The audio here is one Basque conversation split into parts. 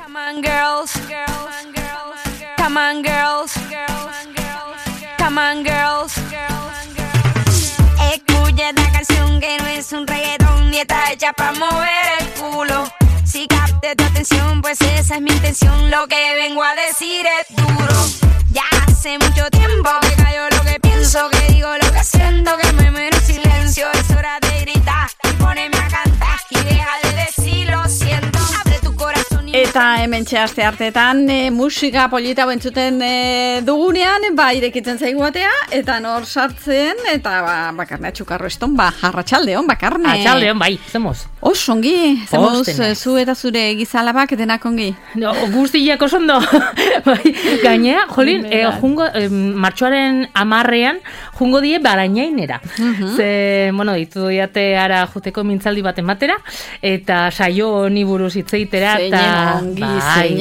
Come on girls, come on girls, come on girls. Escucha esta canción que no es un reggaetón ni está hecha para mover el culo. Si capte tu atención, pues esa es mi intención. Lo que vengo a decir es duro. Ya hace mucho tiempo que callo lo que pienso, que digo lo que siento, que me muero en silencio. Es hora de gritar y ponerme a cantar y deja de decir lo siento. Abre tu corazón. Eta hementxe aste hartetan musika polita bentzuten dugunean, irekitzen zaigu batea, eta nor sartzen, eta Bakarne Atxukarro eston, arratsaldeon, Bakarne. Arratsaldeon, bai, zemoz. Osongi, zemoz, zu eta zure gizalabak denak ongi. No, guztiak osondo. Bai, gainera, jolin, martxoaren 10ean, jungo die Barainainera. Ze, ditu diate ara juteko mintzaldi baten batera, eta saio honi buruz hitzeitera, eta bai,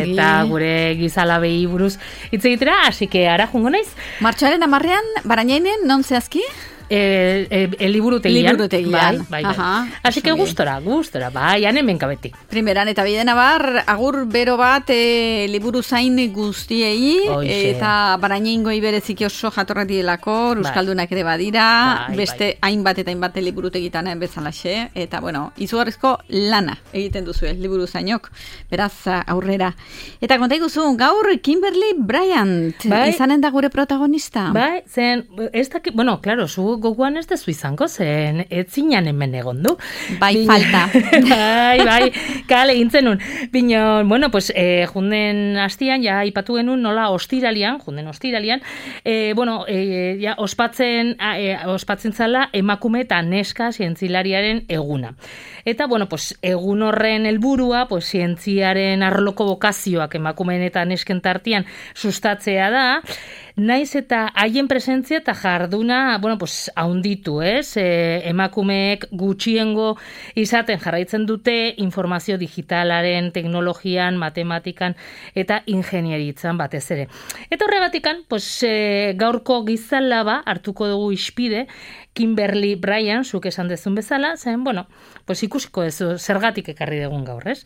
eta gure gizalabei buruz hitzeitera, así que ara jungo naiz. Martxoaren 10ean, Barainainen, non zehazki? Liburutegian. Bai. Así que gustora, bai, hemen kabeti. Primeran eta bidena agur bero bat liburu zain guztiei, eta Barainaingoi bereziki oso jatorrak direlako, euskaldunak ere badira, beste hainbat eta hainbat liburutegitan bezalaxe, eta izugarrizko lana egiten duzu liburu zainok, beraz aurrera. Eta konta iguzu, gaur Kimberly Bryant, izanen da gure protagonista. Bai, zen, ez dakit, claro, zu goguan ez dezu izango, zen etzinan hemen egondu. Bai, falta. Bai, kale gintzen nun. Bino, junden hastian, ja, ipatu genuen nola ostiralian, ospatzen zala emakume eta neska zientzilariaren eguna. Eta, egun horren helburua, zientziaren arloko bokazioak emakumeen eta nesken tartian sustatzea da, naiz eta haien presentzia eta jarduna, haunditu, ez? Emakumeek gutxiengo izaten jarraitzen dute informazio digitalaren, teknologian, matematikan eta ingenieritzan batez ere. Eta horregatikan, gaurko gizalaba hartuko dugu ispide, Kimberly Bryant, zuk esan dezun bezala, zen, ikusiko ez zergatik ekarri dugun gaur, ez?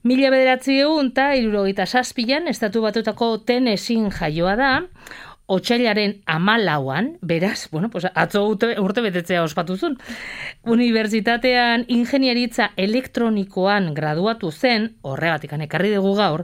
1967an, Estatu Batuetako Tennesseen jaioa da, otsailaren 14an, beraz, atzo urte betetzea ospatuzun. Unibertsitatean ingenieritza elektronikoan graduatu zen, horregatikan ekarri dugu gaur,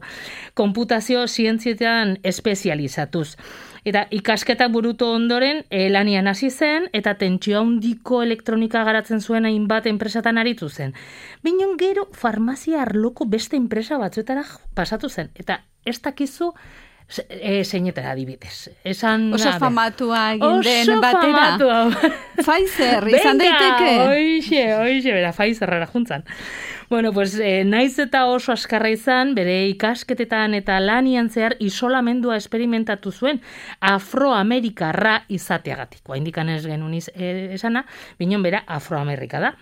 konputazio zientzietan espezializatuz. Eta ikasketak burutu ondoren lanian hasi zen eta tentsio handiko elektronika garatzen zuen hainbat enpresatan aritu zen. Binon gero farmazia arloko beste enpresa batzuetara pasatu zen. Eta ez dakizu zeinetara adibidez. Oso famatua egin den batera. Oso famatua. Pfizer, izan daiteke. Hoixe, bera, Pfizerrera juntzan. Naiz eta oso askarra izan, bere ikasketetan eta lanian zehar isolamendua esperimentatu zuen afroamerikarra izateagatik. Indikan ez genuen esana, binon bera afroamerika da.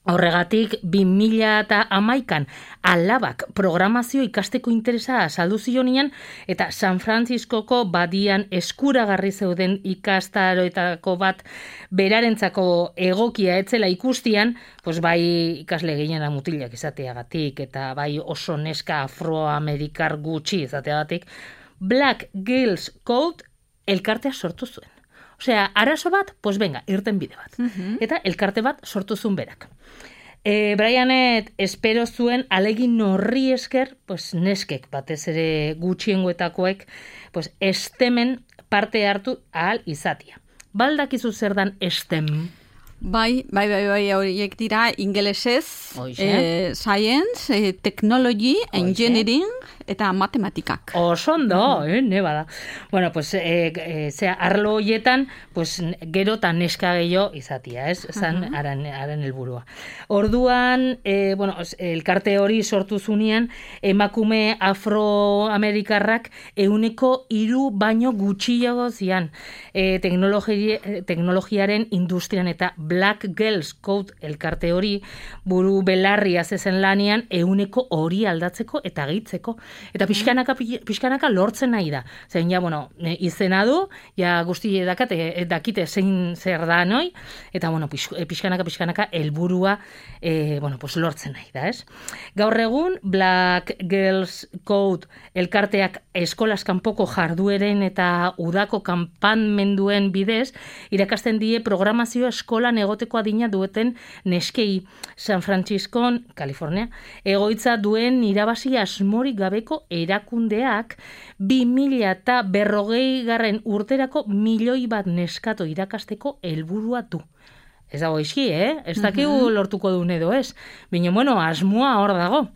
Horregatik, 2011an alabak programazio ikasteko interesa azaldu zionean eta San Franciscoko badian eskuragarri zeuden ikastaroetako bat berarentzako egokia etzela ikustian, bai ikasle gehiena mutilak izateagatik eta bai oso neska afroamerikar gutxi izateagatik, Black Girls Code elkartea sortu zuen. Osea, arazo bat, irten bide bat. Eta elkarte bat sortu zuen berak. Bryanet espero zuen alegin horri esker, neskek batez ere gutxiengoetakoek, estemen parte hartu ahal izatia. Baldakizu zer dan estem? Bai, horiek dira ingelesez, science, technology, engineering, eta matematikak. Osondo, ne bada. Arlo horietan, gero eta neska gehiago izatia, ez? Zan, haren helburua. Orduan, elkarte hori sortu zunean, emakume afroamerikarrak 103 baino gutxiago zian teknologiaren industrian eta Black Girls Code elkarte hori buru belarria zezen lanean 100 hori aldatzeko eta gehitzeko. Eta pixkanaka lortzen nahi da. Zein, ja, bueno, izena du, ja guzti dakite zein zer da noi, eta, bueno, pixkanaka helburua lortzen nahi da, ez? Gaur egun, Black Girls Code elkarteak eskolaz kanpoko jardueren eta udako kanpanmenduen bidez, irakasten die programazio eskolan egoteko adina dueten neskei San Franciscon, California, egoitza duen irabazi asmorik gabeko erakundeak 2040 urterako 1 milioi bat neskato irakasteko helburua du. Ez dago izki, Ez dakigu lortuko duen edo ez. Baina, bueno, asmoa hor dago.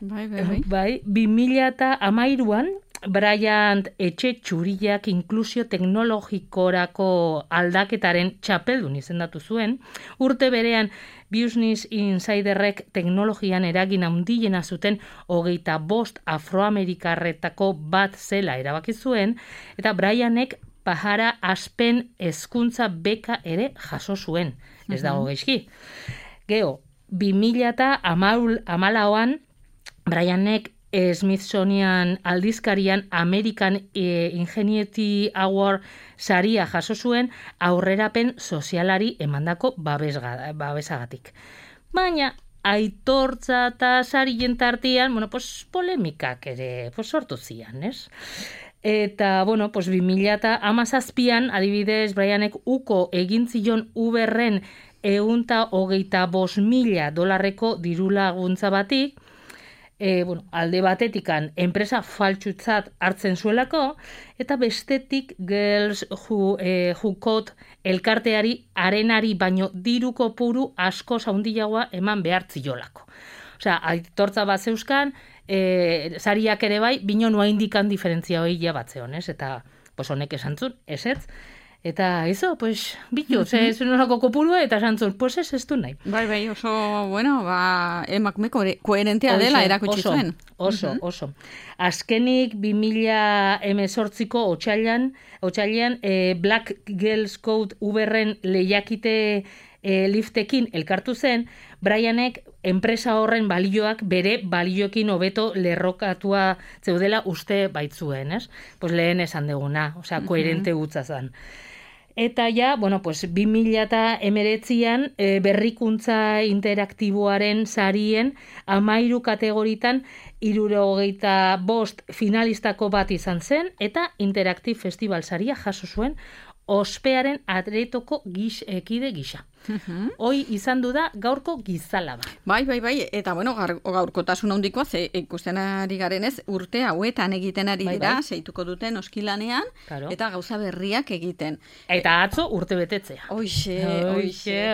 Bai, 2013an, Bryant etxe txuriak inklusio teknologikorako aldaketaren txapeldun izendatu zuen, urte berean Business Insiderrek teknologian eragin handiena zuten 25 afroamerikarretako bat zela erabaki zuen, eta Bryanek Pajara Aspen hezkuntza beka ere jaso zuen. Ez dago gaizki. Gero, 2014an Bryanek Smithsonian aldizkarian American Ingenuity Award saria jaso zuen aurrerapen sozialari emandako babesagatik. Baina aitortza eta sarien tartean, polemikak ere sortu zian, ez? Eta, 2017an, adibidez, Bryanek uko egin zion Uberren $125,000 dirulaguntza batik, alde batetikan enpresa faltsutzat hartzen zuelako, eta bestetik Girls Who Code elkarteari arenari baino diru kopuru asko handiagoa eman behar ziolako. Osea, aitortza bat zeuzkan, sariak ere bai, bino noa indikan diferentzia hori batzeon, ez? Eta, honek esantzun, ez? Eta, bitu, zenolako kopurua, eta esantzun, ez du nahi. Bai, oso, emakume koherentea dela erakutsi zuen. Oso. Azkenik 2018ko otsailean Black Girls Code Uberren lehiakite liftekin elkartu zen, Bryanek enpresa horren balioak bere balioekin hobeto lerrokatua zeudela uste baitzuen, ez? Lehen esan deguna, koherente gutza zen. Eta ja, 2019an berrikuntza interaktiboaren sarien 13 kategoritan 75 finalistako bat izan zen, eta Interactive Festival saria jaso zuen ospearen atretoko kide gisa. Hoi izan du da gaurko gizalaba. Bai, eta gaurkotasun handikoa, ze ikusten ari garenez, urte hauetan egiten ari dira, seituko duten oskilanean, eta gauza berriak egiten. Eta atzo urte betetzea. Oixe.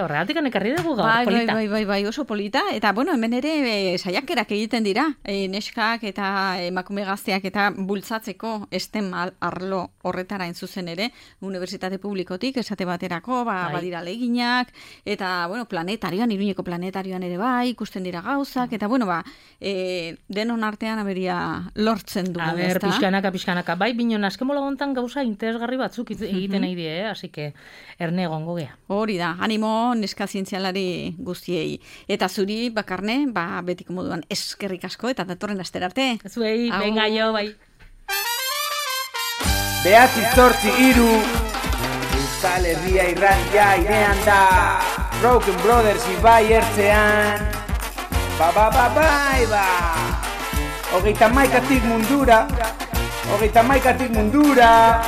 Horregatik ekarri dugu gaur, polita. Bai, oso polita, eta hemen ere saiakerak egiten dira, neskak eta emakume gazteak eta bultzatzeko STEM arlo horretara zuzen ere, Unibertsitate Publikotik, esate baterako, badira leginak, eta, planetarioan, Iruñeko planetarioan ere bai, ikusten dira gauzak, eta, denon artean aberia lortzen dugu. Pixkanaka, bai, binon, azkemola gontan gauza interesgarri batzuk egiten nahi die, hasi que erne egongo gea. Hori da, animo neska zientzialari guztiei. Eta zuri, Bakarne, betiko moduan eskerrik asko, eta datorren astera arte. Zuei, venga jo, bai. 9:03 Euskal Herria irratia irean da, Broken Brothers ibai ertzean, bai. 31 mundura,